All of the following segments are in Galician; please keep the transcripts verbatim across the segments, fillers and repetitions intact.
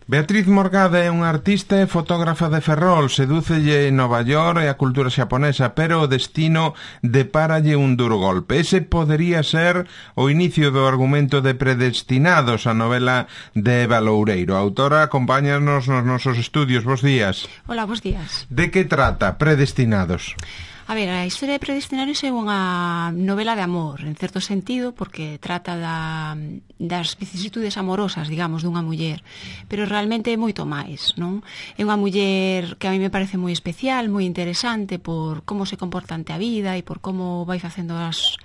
Beatriz Morgade é unha artista e fotógrafa de Ferrol. Sedúcelle Nova York e a cultura xaponesa, pero o destino depáralle un duro golpe. Ese podería ser o inicio do argumento de Predestinados, a novela de Eva Loureiro. A autora acompáñanos nos nosos estudios. Bos días. Hola, bos días. De que trata Predestinados? A ver, a historia de Predestinados é unha novela de amor, en certo sentido, porque trata da, das vicisitudes amorosas, digamos, dunha muller, pero realmente é moito máis, non? É unha muller que a mí me parece moi especial, moi interesante por como se comporta ante a vida e por como vai facendo as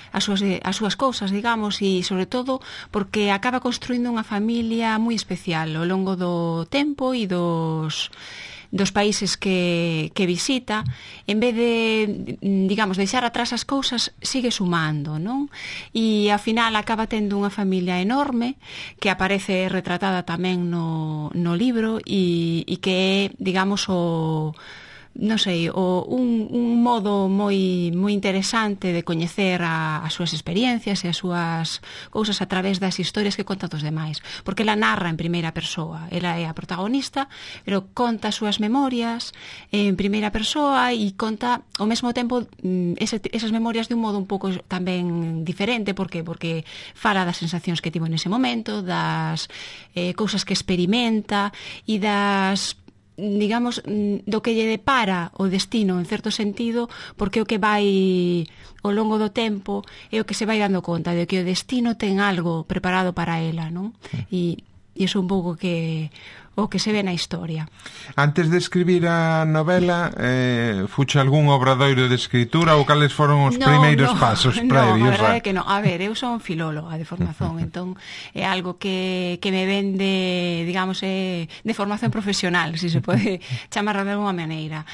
as súas, as súas cousas, digamos, e sobre todo porque acaba construindo unha familia moi especial ao longo do tempo e dos dos países que, que visita. En vez de, digamos, deixar atrás as cousas, sigue sumando, non? E ao final acaba tendo unha familia enorme que aparece retratada tamén no, no libro e, e que é, digamos, o non sei, o, un, un modo moi moi interesante de coñecer a, as súas experiencias e as súas cousas a través das historias que conta dos demais, porque ela narra en primeira persoa, ela é a protagonista, pero conta as súas memorias en primeira persoa e conta ao mesmo tempo ese, esas memorias de un modo un pouco tamén diferente, porque porque fala das sensacións que tivo nese momento, das eh, cousas que experimenta e das, digamos, do que lle depara o destino en certo sentido, porque o que vai ao longo do tempo é o que se vai dando conta de que o destino ten algo preparado para ela, non? E, e iso un pouco que o que se ve na historia. Antes de escribir a novela, eh, fuche algún obradoiro de escritura ou cales foron os no, primeiros no, pasos no, previos? No, a verdade é que non. A ver, eu son filóloga de formación, entón é algo que, que me vende, digamos, é de formación profesional, se se pode chamar de alguma maneira.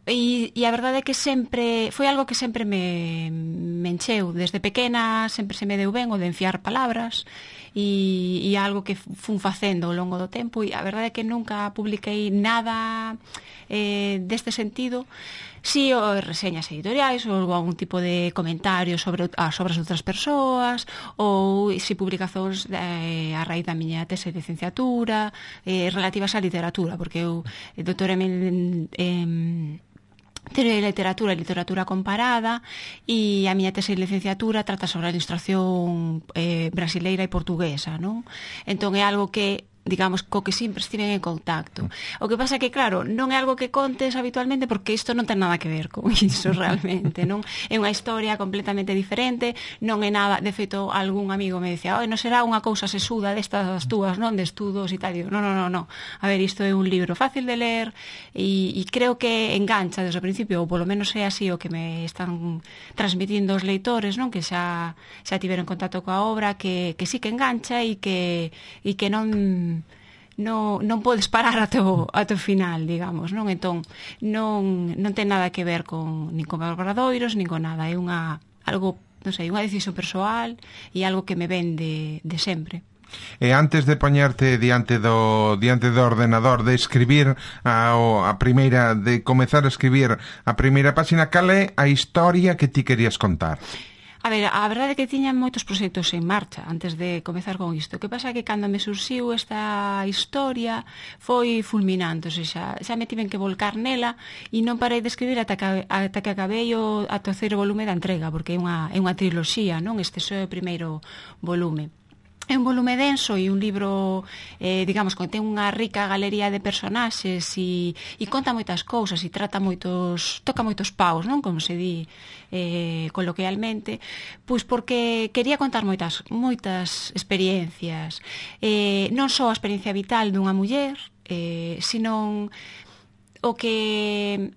E, e a verdade é que sempre foi algo que sempre me, me encheu desde pequena, sempre se me deu ben o de enfiar palabras e, e algo que fun facendo ao longo do tempo, e a verdade é que nunca publiquei nada eh, deste sentido. Si, sí, o reseñas editoriais ou algún tipo de comentarios sobre as obras de outras persoas, ou si publicacións eh, a raíz da miña tese de licenciatura eh, relativas á literatura, porque eu doutoreme en, en teoría de literatura e literatura comparada, e a miña tese de licenciatura trata sobre a ilustración eh, brasileira e portuguesa, non? Entón é algo que, digamos, co que sempre estiven en contacto. O que pasa que, claro, non é algo que contes habitualmente, porque isto non ten nada que ver con iso realmente, non? É unha historia completamente diferente, non é nada, de feito, algún amigo me dicía, oi, non será unha cousa sesuda destas túas, non, de estudos e tal. Digo, non, non, non, non. A ver, isto é un libro fácil de ler e, e creo que engancha desde o principio, ou polo menos é así o que me están transmitindo os leitores, non? Que xa, xa tiveron contacto coa obra, que, que sí que engancha e que, e que non non, non podes parar até o, até o final, digamos, non? Entón, non, non ten nada que ver con nin con obradoiros, nin con nada, é unha algo, non sei, unha decisión persoal e algo que me ven de, de sempre. E antes de poñerte diante do diante do ordenador, de escribir a, a primeira, de comezar a escribir a primeira páxina, cal é a historia que ti querías contar? A ver, a verdade é que tiña moitos proxectos en marcha antes de comezar con isto. O que pasa é que cando me surxiu esta historia foi fulminante, ou seja, xa me tiven que volcar nela e non parei de escribir ata que, ata que acabei o a terceiro volume da entrega, porque é unha, é unha triloxía, non? Este é o primeiro volume. É un volume denso e un libro, eh, digamos, que ten unha rica galería de personaxes e, e conta moitas cousas e trata moitos, toca moitos paus, non? Como se di eh, coloquialmente, pois porque quería contar moitas moitas experiencias, eh, non só a experiencia vital dunha muller, eh, sino o que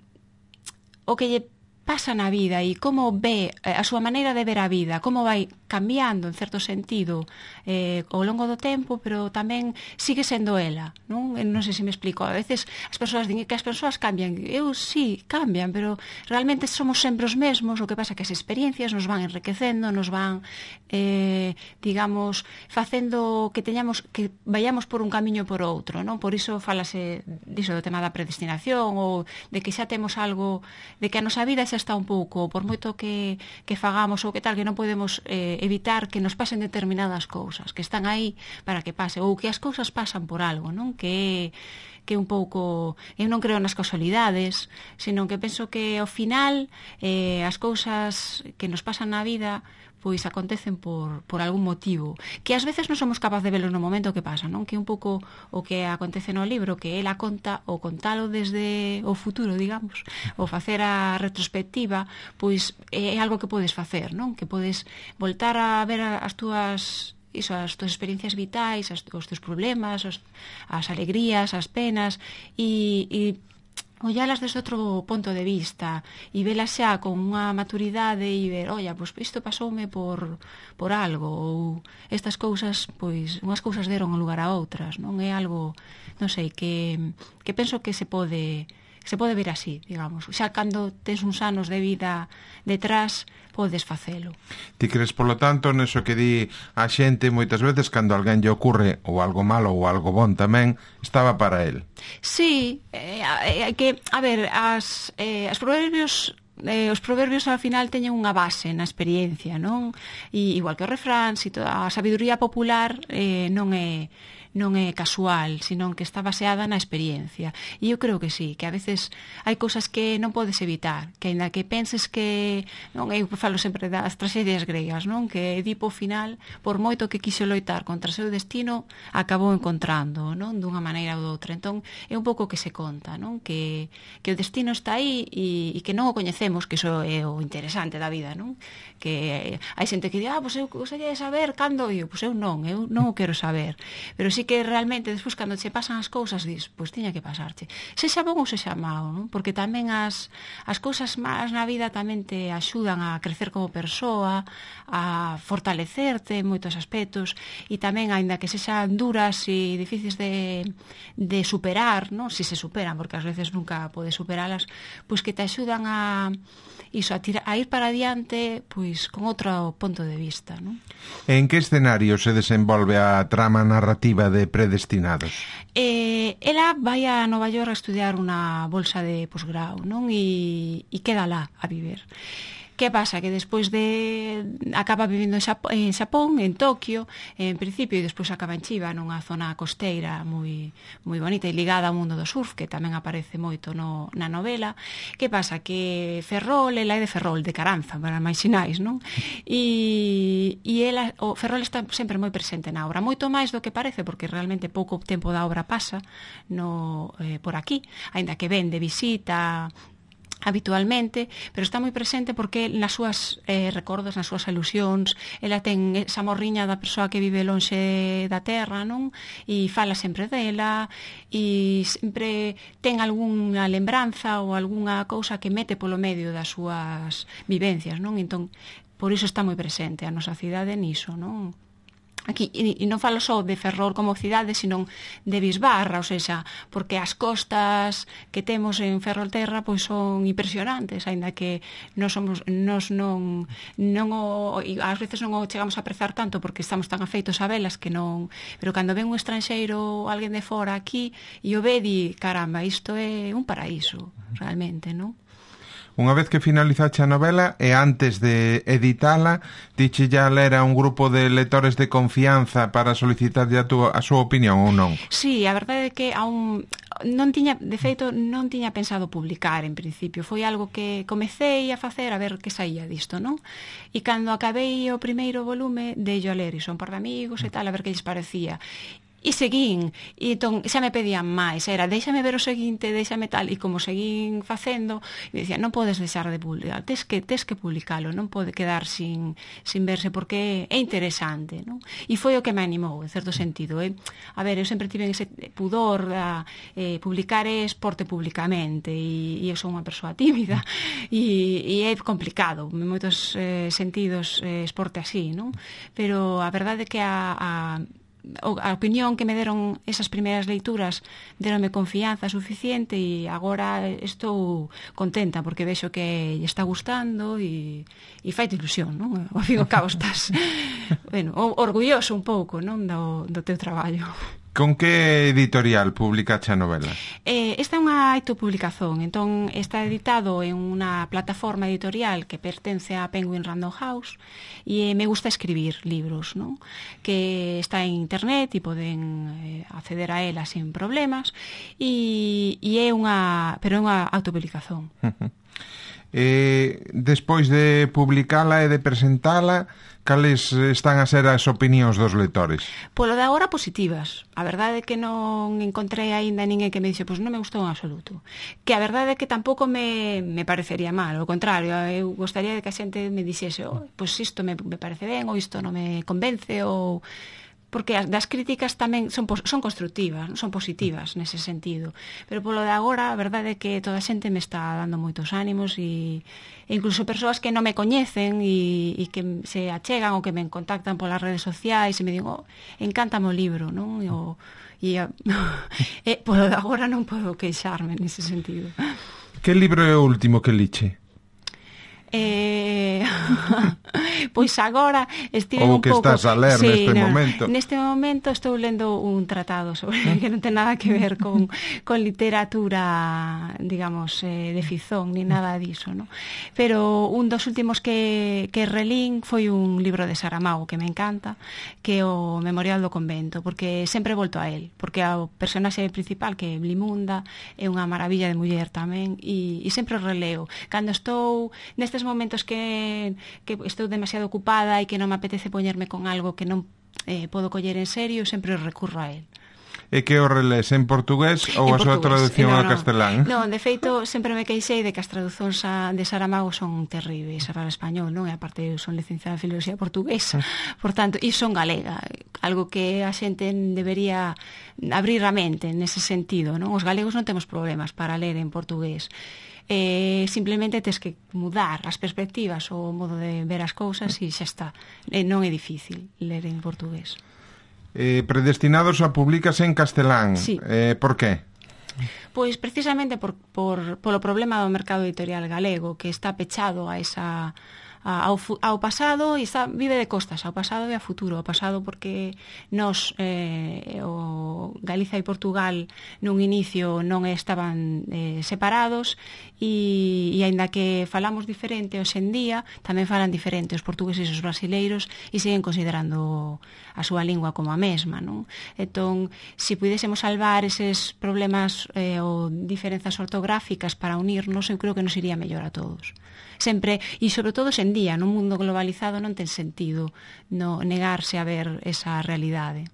o que lle pasa na vida e como ve a súa maneira de ver a vida, como vai cambiando en certo sentido eh, ao longo do tempo, pero tamén sigue sendo ela, non? Non sei se me explico. A veces as persoas din que as persoas cambian. Eu sí, cambian, pero realmente somos sempre os mesmos. O que pasa é que as experiencias nos van enriquecendo, nos van, eh, digamos, facendo que teñamos que vayamos por un camiño por outro, non? Por iso falase diso do tema da predestinación ou de que xa temos algo, de que a nosa vida xa natureza está un pouco, por moito que, que fagamos ou que tal, que non podemos eh, evitar que nos pasen determinadas cousas, que están aí para que pase, ou que as cousas pasan por algo, non? Que que un pouco, eu non creo nas casualidades, senón que penso que ao final eh, as cousas que nos pasan na vida pois acontecen por, por algún motivo, que ás veces non somos capaces de velo no momento que pasa, non? Que un pouco o que acontece no libro, que ela conta, ou contalo desde o futuro, digamos, ou facer a retrospectiva, pois é algo que podes facer, non? Que podes voltar a ver as túas iso, as túas experiencias vitais, as, os teus problemas, os, as alegrías, as penas, e, e ollalas desde outro punto de vista e velas xa con unha maturidade e ver, olla, pois isto pasoume por, por algo, ou estas cousas, pois unhas cousas deron lugar a outras, non? É algo, non sei, que, que penso que se pode se pode ver así, digamos. Xa cando tens uns anos de vida detrás, podes facelo. Ti crees, polo tanto, neso que di a xente moitas veces cando alguén lle ocurre ou algo malo ou algo bon tamén, estaba para el? Sí, eh, eh, que, a ver, as, eh, as proverbios eh, os proverbios ao final teñen unha base na experiencia, non? E, igual que o refrán, si toda a sabiduría popular eh, non é non é casual, senón que está baseada na experiencia. E eu creo que sí, que a veces hai cousas que non podes evitar, que ainda que penses que, non, eu falo sempre das tragedias gregas, non? Que Edipo final, por moito que quixo loitar contra o seu destino, acabou encontrando, non? Dunha maneira ou doutra. Entón, é un pouco que se conta, non? Que, que o destino está aí e, e que non o coñecemos, que iso é o interesante da vida, non? Que hai xente que di, ah, pois eu gostaria de saber cando, e eu, pois eu non, eu non o quero saber. Pero sí que realmente despois cando che pasan as cousas dis, pois tiña que pasarche, sexa bon ou sexa mau, non? Porque tamén as, as cousas malas na vida tamén te axudan a crecer como persoa, a fortalecerte en moitos aspectos, e tamén, aínda que sexan duras e difíciles de, de superar, non? Si se superan, porque ás veces nunca podes superalas, pois que te axudan a iso, a, tira, a ir para adiante pois con outro punto de vista, non? En que escenario se desenvolve a trama narrativa de Predestinados? Eh, ela vai a Nova York a estudiar unha bolsa de posgrau, non? E, e queda lá a viver. Que pasa? Que despois de... acaba vivindo en Xapón, en, Xapón, en Tokio, en principio, e despois acaba en Chiba, nunha zona costeira moi, moi bonita e ligada ao mundo do surf, que tamén aparece moito no, na novela. Que pasa? Que Ferrol, ela é de Ferrol, de Caranza, para máis sinais, non? E, e ela, o Ferrol está sempre moi presente na obra, moito máis do que parece, porque realmente pouco tempo da obra pasa no, eh, por aquí, aínda que ven de visita habitualmente, pero está moi presente porque nas súas eh, recordos, nas súas alusións, ela ten esa morriña da persoa que vive lonxe da terra, non? E fala sempre dela e sempre ten algunha lembranza ou algunha cousa que mete polo medio das súas vivencias, non? Entón, por iso está moi presente a nosa cidade niso, non? Aquí, e non falo só de Ferrol como cidade, senón de Bisbarra, ou seja, porque as costas que temos en Ferrolterra pois son impresionantes, aínda que nós somos nós non non o, ás veces non o chegamos a apreciar tanto porque estamos tan afeitos a velas que non, pero cando ven un estranxeiro ou alguén de fora aquí e o ve di, caramba, isto é un paraíso, realmente, non? Unha vez que finalizache a novela e antes de editala, diche ya ler a un grupo de lectores de confianza para solicitar a, tu, a súa opinión ou non? Sí, a verdade é que a un, non tiña, de feito, non tiña pensado publicar en principio. Foi algo que comecei a facer a ver que saía disto, non? E cando acabei o primeiro volume, deillo a ler, e son par de amigos e tal, a ver que lles parecía. E seguín, e entón xa me pedían máis, era déixame ver o seguinte, déixame tal, e como seguín facendo, me dicían, non podes deixar de publicar, tes que, tes que publicalo, non pode quedar sin, sin verse, porque é interesante, non? E foi o que me animou, en certo sentido, eh? A ver, eu sempre tive ese pudor da eh, publicar é esporte públicamente, e, e eu sou unha persoa tímida, e, e é complicado, en moitos eh, sentidos, eh, esporte así, non? Pero a verdade é que a... a a opinión que me deron esas primeiras leituras deronme confianza suficiente e agora estou contenta porque vexo que lle está gustando e, e fai ilusión, non? Ao fin e ao cabo estás bueno, orgulloso un pouco, non, do, do teu traballo. Con que editorial publicache a novela? Eh, esta é unha autopublicación, entón está editado en unha plataforma editorial que pertence a Penguin Random House e me gusta escribir libros, non? Que está en internet e poden eh, acceder a ela sin problemas e, e é unha, pero é unha autopublicación. Uh-huh. Eh, despois de publicala e de presentala, cales están a ser as opinións dos lectores? Polo de agora positivas. A verdade é que non encontrei aínda ninguén que me dixe pois non me gustou en absoluto. Que a verdade é que tampouco me, me parecería mal, ao contrario, eu gostaría de que a xente me dixese oh, pois isto me, me parece ben ou isto non me convence ou... porque as das críticas tamén son, son constructivas, non? Son positivas nese sentido. Pero polo de agora, a verdade é que toda a xente me está dando moitos ánimos e, e incluso persoas que non me coñecen e, e que se achegan ou que me contactan polas redes sociais e me digo, oh, encántame o libro, non? E, o, e, e polo de agora non podo queixarme nese sentido. Que libro é o último que liche? Eh... pois agora estive un pouco... Ou que estás a ler sí, neste no, momento. Neste momento estou lendo un tratado sobre que non ten nada que ver con, con literatura, digamos, eh, de ficción, ni nada diso, ¿no? Pero un dos últimos que, que relín foi un libro de Saramago que me encanta, que é o Memorial do Convento, porque sempre volto a él, porque o personaxe principal, que é Blimunda, é unha maravilla de muller tamén, e, e sempre o releo. Cando estou nestes momentos que, que estou demasiado ocupada e que non me apetece poñerme con algo que non eh, podo coller en serio, sempre recurro a él. E que o relés en portugués ou a súa traducción no, ao no. castelán? Non, de feito, sempre me queixei de que as traducións de Saramago son terribles para o español, non? E aparte, eu son licenciada en filoloxía portuguesa, por tanto, e son galega, algo que a xente debería abrir a mente nese sentido, non? Os galegos non temos problemas para ler en portugués. Eh, simplemente tes que mudar as perspectivas ou o modo de ver as cousas e xa está. Eh, non é difícil ler en portugués. Eh, predestinados a publicarse en castelán. Sí. Eh, por qué? Pois precisamente por, por, polo problema do mercado editorial galego, que está pechado a esa... Ao, ao pasado e está, vive de costas ao pasado e ao futuro. Ao pasado porque nos eh, o Galiza e Portugal nun inicio non estaban eh, separados e, e aínda que falamos diferente hoxe en día, tamén falan diferente os portugueses e os brasileiros e siguen considerando a súa lingua como a mesma, non? Entón, se pudésemos salvar eses problemas eh, ou diferenzas ortográficas para unirnos, eu creo que nos iría mellor a todos. Sempre, e sobre todo en día, nun mundo globalizado non ten sentido no negarse a ver esa realidade.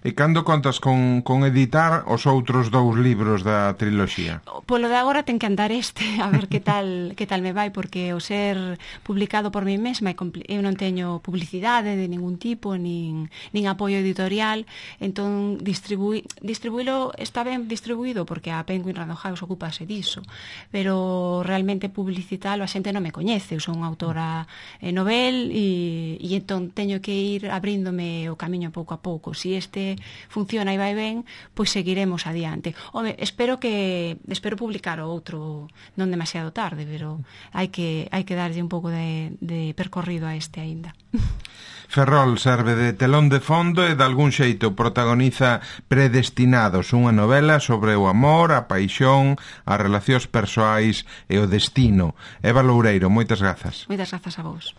E cando contas con, con editar os outros dous libros da triloxía? Polo de agora ten que andar este, a ver que tal que tal me vai, porque o ser publicado por mí mesma eu non teño publicidade de ningún tipo, nin, nin apoio editorial, entón distribui, distribuílo está ben distribuído porque a Penguin Random House ocupase diso, pero realmente publicitalo a xente non me coñece, eu son unha autora eh, novel e, e entón teño que ir abríndome o camiño pouco a pouco. Si este funciona e vai ben, pois seguiremos adiante. Home, espero que espero publicar o outro non demasiado tarde, pero hai que hai que darlle un pouco de, de percorrido a este aínda. Ferrol serve de telón de fondo e de algún xeito protagoniza Predestinados, unha novela sobre o amor, a paixón, as relacións persoais e o destino. Eva Loureiro, moitas grazas. Moitas grazas a vos.